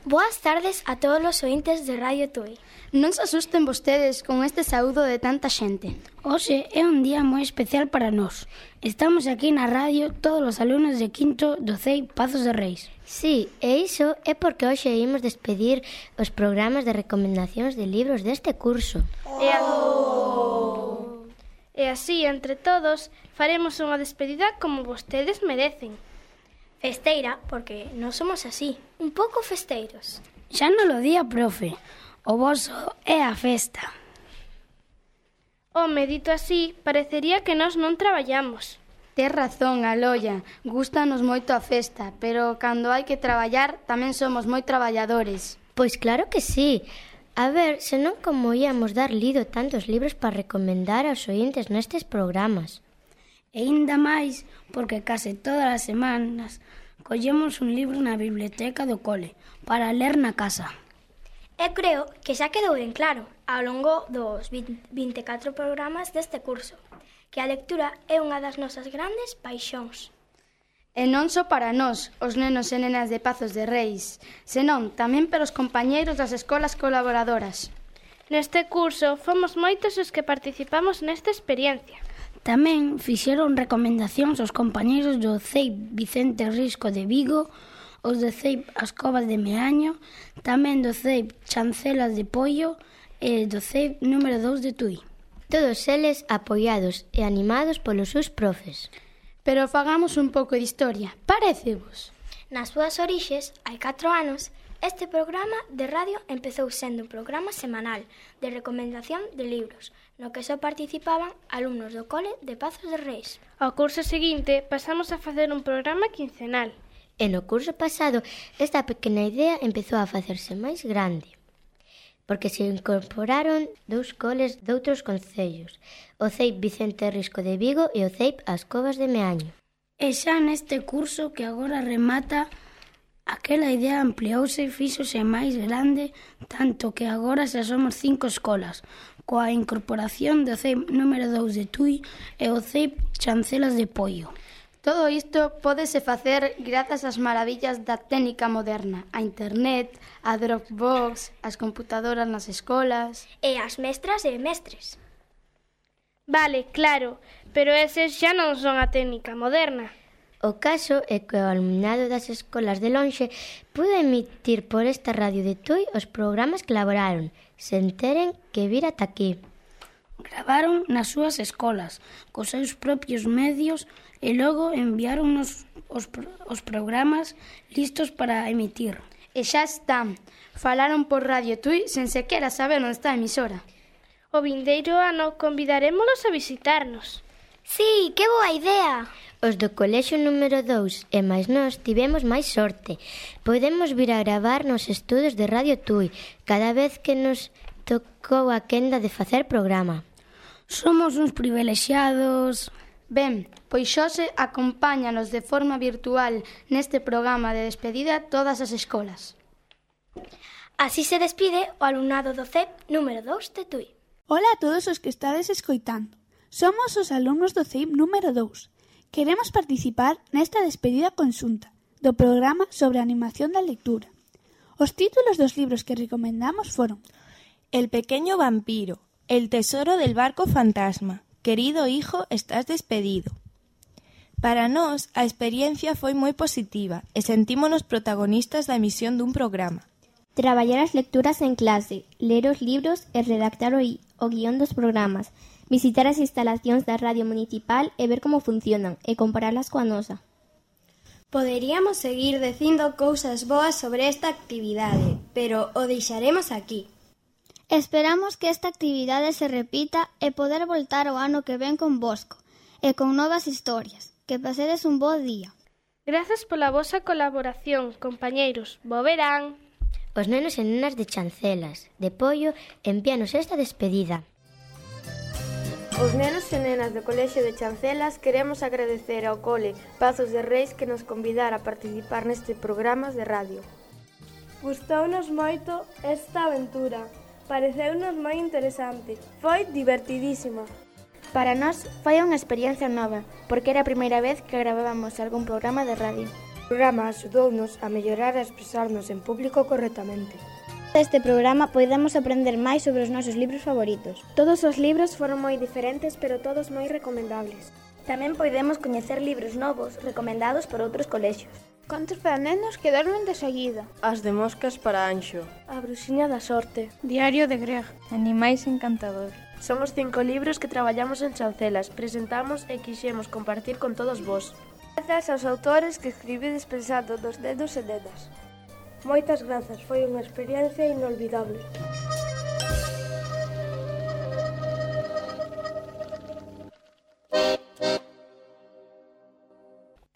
Boas tardes a todos os ointes de Radio Tui. Non se asusten vostedes con este saúdo de tanta xente. Hoxe é un día moi especial para nós. Estamos aquí na radio todos os alumnos de quinto do CEIP Pazos de Reis. Sí, e iso é porque hoxe imos despedir os programas de recomendacións de libros deste curso. E así, entre todos, faremos unha despedida como vostedes merecen. Festeira, porque non somos así, un pouco festeiros. Xa non lo día, profe. O voso é a festa. Home, dito así, parecería que nós non traballamos. Tes razón, Aloia, gústanos moito a festa, pero cando hai que traballar tamén somos moi traballadores. Pois claro que sí. A ver, senón como íamos dar lido tantos libros para recomendar aos ointes nestes programas. E ainda máis, porque case todas as semanas collemos un libro na biblioteca do cole para ler na casa. Eu creo que xa quedou ben claro ao longo dos 24 programas deste curso que a lectura é unha das nosas grandes paixóns. E non só para nós, os nenos e nenas de Pazos de Reis, senón tamén para os compañeiros das escolas colaboradoras. Neste curso fomos moitos os que participamos nesta experiencia. Tamén fixeron recomendacións aos compañeiros do CEIP Vicente Risco de Vigo, os do CEIP As Covas de Meaño, tamén do CEIP Chancelas de Poio e do CEIP número 2 de Tui. Todos eles apoiados e animados polos seus profes. Pero fagamos un pouco de historia, parecevos? Nas súas orixes, hai 4 anos, este programa de radio empezou sendo un programa semanal de recomendación de libros, no que só participaban alumnos do cole de Pazos de Reis. Ao curso seguinte pasamos a facer un programa quincenal. E no curso pasado esta pequena idea empezou a facerse máis grande, porque se incorporaron 2 coles doutros concellos, o CEIP Vicente Risco de Vigo e o CEIP As Covas de Meaño. E xa neste curso que agora remata, aquela idea ampliouse e fíxose máis grande, tanto que agora xa somos 5 escolas, coa incorporación do CEIP número 2 de Tui e o CEIP Chancelas de Poio. Todo isto pódese facer grazas ás maravillas da técnica moderna, a internet, a Dropbox, as computadoras nas escolas... E as mestras e mestres. Vale, claro, pero eses xa non son a técnica moderna. O caso é que o alumnado das escolas de lonxe pudo emitir por esta radio de Tui os programas que elaboraron, sen teren que vir ata aquí. Gravaron nas súas escolas, cos seus propios medios, e logo enviáronnos os programas listos para emitir. E xa están. Falaron por Radio Tui sen sequera saber onde está a emisora. O vindeiro ano convidarémolos a visitarnos. Sí, que boa idea! Os do colexio número 2 e máis nós tivemos máis sorte. Podemos vir a gravar nos estudos de Radio Tui cada vez que nos tocou a quenda de facer programa. Somos uns privilexiados. Ben, pois Xose acompáñanos de forma virtual neste programa de despedida todas as escolas. Así se despide o alumnado do CEIP número 2 de Tui. Ola a todos os que estades escoitando. Somos os alumnos do CEIP número 2. Queremos participar nesta despedida conxunta do programa sobre a animación da lectura. Os títulos dos libros que recomendamos foron El pequeño vampiro, El tesoro del barco fantasma, Querido hijo, estás despedido. Para nós, a experiencia foi moi positiva e sentímonos protagonistas da emisión dun programa. Traballar as lecturas en clase, ler os libros e redactar o guión dos programas, visitar as instalacións da radio municipal e ver como funcionan e comparalas coa nosa. Poderíamos seguir dicindo cousas boas sobre esta actividade, pero o deixaremos aquí. Esperamos que esta actividade se repita e poder voltar o ano que ven con Bosco e con novas historias. Que pasedes un bo día. Grazas pola vosa colaboración, compañeiros. Bo verán. Os nenos e nenas de Chancelas, de Poio, envíanos esta despedida. Os nenos e nenas do Colexio de Chancelas queremos agradecer ao cole Pazos de Reis que nos convidara a participar neste programa de radio. Gustounos moito esta aventura. Pareceunos moi interesante. Foi divertidísima. Para nós foi unha experiencia nova, porque era a primeira vez que gravábamos algún programa de radio. O programa axudounos a mellorar a expresarnos en público correctamente. Neste programa podemos aprender máis sobre os nosos libros favoritos. Todos os libros foron moi diferentes, pero todos moi recomendables. Tamén podemos coñecer libros novos recomendados por outros colexios. Contos para nenos que dormen de seguida. As de moscas para Anxo. A bruxiña da sorte. Diario de Greg. Animais encantador. Somos 5 libros que traballamos en Chancelas, presentamos e quixemos compartir con todos vos. Grazas aos autores que escribides pensando dos nenos e nenas. Moitas grazas, foi unha experiencia inolvidable.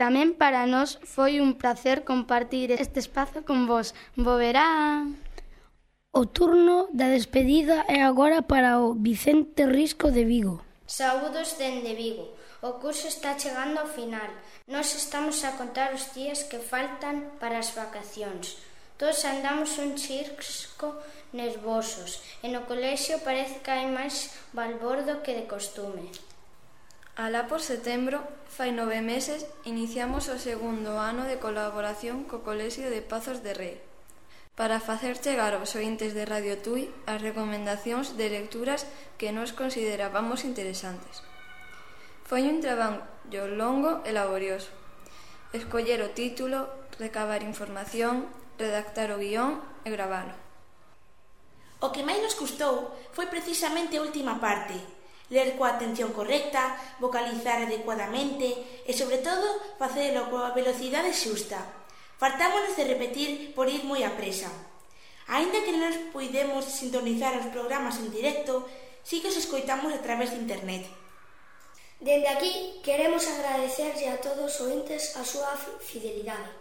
Tamén para nós foi un placer compartir este espazo con vos. Bo verán. O turno da despedida é agora para o Vicente Risco de Vigo. Saúdos dende Vigo. O curso está chegando ao final. Nós estamos a contar os días que faltan para as vacacións. Todos andamos un chisco nervosos e no colexio parece que hai máis balbordo que de costume. Alá por setembro, fai 9 meses, iniciamos o segundo ano de colaboración co Colexio de Pazos de Rei para facer chegar aos ointes de Radio Tui as recomendacións de lecturas que nos considerábamos interesantes. Foi un traballo longo e laborioso. Escoller o título, recabar información, redactar o guión e gravalo. O que máis nos custou foi precisamente a última parte. Ler coa atención correcta, vocalizar adecuadamente e, sobre todo, facelo coa velocidade xusta. Fartámonos de repetir por ir moi apresa. Aínda que non nos puidemos sintonizar os programas en directo, sí que os escoitamos a través de internet. Dende aquí, queremos agradecerlle a todos os ointes a súa fidelidade.